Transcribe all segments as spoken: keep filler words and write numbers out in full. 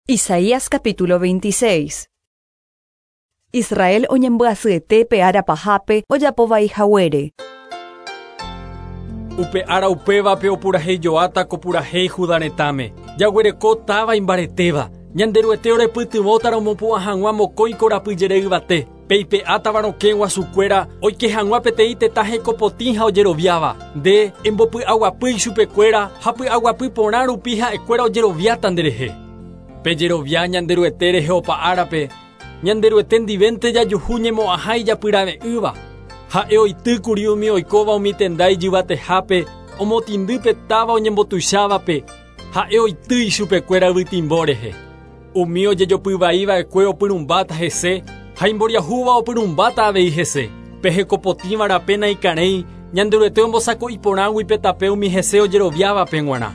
Isaías capítulo veintiséis. Israel oñembyasyete ára pahápe ojapovai haguére. Upe ára upévape opurahéijoáta ko purahéi Judá retãme. Jaguereko táva imbaretéva. Ñanderuete orepytyvõta romopu'ã hag̃ua mokõi korapyjere yvate. Peipe'átava rokẽ guasukuéra oike hag̃ua peteĩ tetã hekopotĩ ha ojeroviáva. Nde embopy'aguapy ichupekuéra ha py'aguapy porã rupi ha'ekuéra ojeroviáta nderehe. Pejerovia Ñanderuete rehe opa árape. Ñanderuete ndivénte jajuhu ñemo'ãha ijapyrave'ỹva. Ha'e oitýkuri umi oikóva umi tenda ijyvatehápe, omotĩndy táva oñembotuichávape. Ha'e oity ichupekuéra yvytimbo rehe. Umi ojejopyvaiva'ekue opyrũmbáta hese ha imboriahúva opyrũmbáta avei hese. Pe hekopotĩva rape naikarẽi, Ñanderuete ombosako'i porãgui pe tape umi hese ojeroviávape g̃uarã.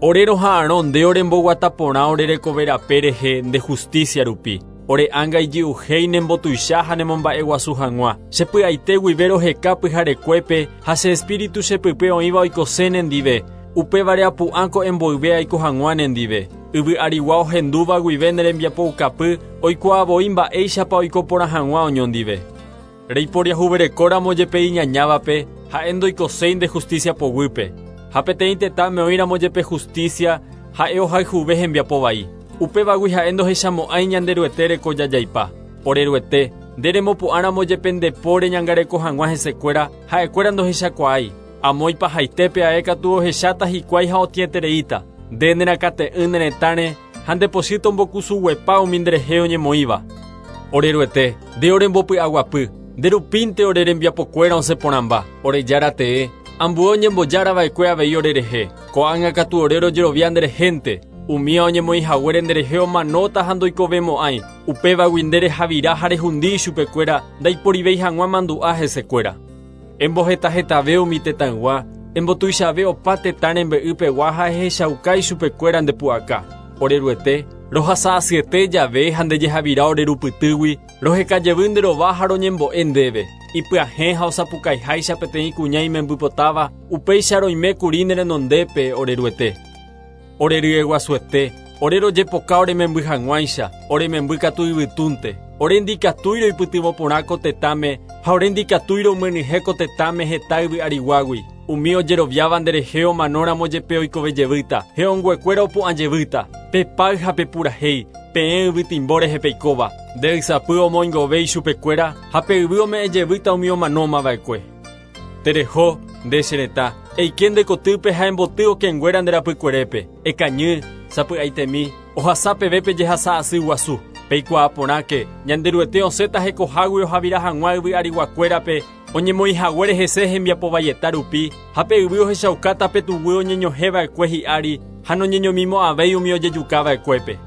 Ore roha'arõ nde oremboguata porã ore rekove rape rehe nde justicia rupi. Ore ánga ijy'uhéi nembotuicha ha nemomba'eguasu hag̃ua. Chepy'aite guive roheka pyharekuépe ha che espíritu chepype oĩva oikose nendive. Upévare apu'ã ko'ẽmboyve aiko hag̃ua nendive. Yvy arigua ohendúva guive ne rembiapoukapy oikuaavoi mba'éichapa oiko porã hag̃ua oñondive. Reiporiahuverekóramo jepe iñañávape ha'e ndoikoséi nde justicia poguýpe. Ha peteĩ tetãme oĩramo jepe justicia ha'e ohayhuve hembiapo vai. Upévagui ha'e ndohechamo'ãi Ñanderuete reko jajaipa. Oreruete, nde remopu'ãramo jepe nde póre ñangareko hag̃ua hesekuéra ha'ekuéra ndohechakuaái. Amo ipahaitépe ae katu ohecháta hikuái ha otĩetereíta. Nde nerakate'ỹ ne retãre ha ndepochy tombokusuguepa umi nderehe oñemoĩva. Oreruete, nde orembopy'aguapy, nderupínte ore rembiapokuéra osẽ porãmba. Ore jára tee, ambue oñembojárava'ekue avei orerehe. Ko'ág̃a katu ore rojerovia nderehénte. Umíva oñemoĩ haguére nderehe omanóta ha ndoikovemo'ãi. Upévagui nde rehavira ha rehundi ichupekuéra ndaiporivéi hag̃ua mandu'a hesekuéra. Embohetahetave umi tetãygua, embotuichave opa tetã rembe'ypegua ha ehechauka ichupekuéra ndepu'aka. Oreruete, rohasa asyete jave ha ndejehavira orerupytýgui, rohekajevy nde rova ha roñembo'e ndéve. Ipyahẽ ha osapukaiháicha peteĩ kuña imembypotáva, upéicha roime kuri ne renondépe oreruete. Oreryeguasuete, ore rojepoka orememby hag̃uáicha, orememby katu yvytúnte. Ore ndikatúi roipytyvõ porã ko tetãme ha ore ndikatúi romyenyhẽ ko tetãme heta yvy ariguágui. Umi ojeroviáva nderehe omanóramo jepe oikovejevýta, he'õnguekuéra opu'ãjevýta. Pepáy ha pepurahéi, peẽ yvytimbo rehe peikóva. Nde ysapy omoingove ichupekuéra ha pe yvy ome'ẽjevýta umi omanómava'ekue. Tereho, nde che retã, eike nde kotýpe ha emboty okẽnguéra nde rapykuerépe. Ekañy, sapy'aitemi, ohasa peve pejehasa asy guasu. Peikuaa porãke, Ñanderuete osẽta hekohágui ohavira hag̃ua yvy ariguakuérape, oñemoĩ haguére hese hembiapovaieta rupi, ha pe yvy ohechaukáta pe tuguy oñeñohẽva'ekue hi'ári ha noñeñomimo'ãvéi umi ojejukava'ekuépe.